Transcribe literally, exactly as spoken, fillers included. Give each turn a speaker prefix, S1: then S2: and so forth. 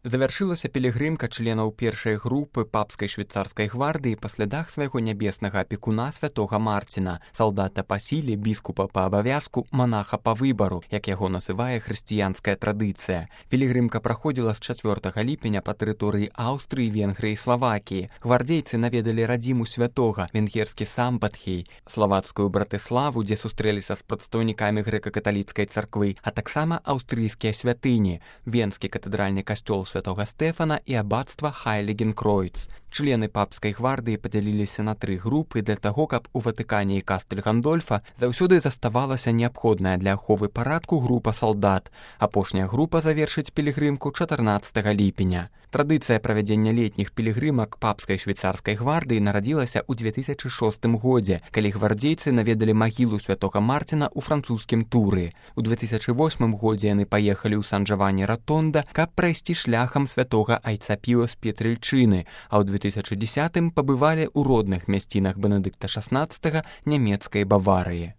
S1: Завяршылася пілігрымка членаў першай групы папскай швейцарскай гвардыі па слядах свайго нябеснага апекуна святога Марціна, салдата па сіле, біскупа па абавязку, манаха па выбару, як яго называе хрысціянская традыцыя. Пілігрымка праходзіла з чацвёртага ліпеня па тэрыторыі Аўстрыі, Венгрыі і Славакіі. Гвардзейцы наведалі радзіму святога, венгерскі Самбатхей, славацкую Братыславу, дзе сустрэліся з прадстаўнікамі грэка-каталіцкай царквы, а таксама аўстрыйскія святыні, венскі катэдральны касцёл святога Стэфана і аббатства Хайлігенкройц. Члены папскай гвардыі падзяліліся на тры групы для таго, каб у Ватыкане і Кастэль Гандольфа заўсёды заставалася неабходная для аховы парадку група салдат. Апошняя група завершыць пілігрымку чатырнаццатага ліпеня. Традыцыя правядзення летніх пілігрымак папскай швейцарскай гвардыі нарадзілася ў две тысячы шостым годзе, калі гвардзейцы наведалі магілу святога Марціна ў французскім Туры. У две тысячы восьмым годзе яны паехалі ў Сан-Джавані-Ратонда, каб прайсці шляхам святога айца Піо з Петрыльчыны, а ў две тысячы дзесятым пабывалі ў родных мясцінах Бенедыкта шаснаццатага нямецкай Баварыі.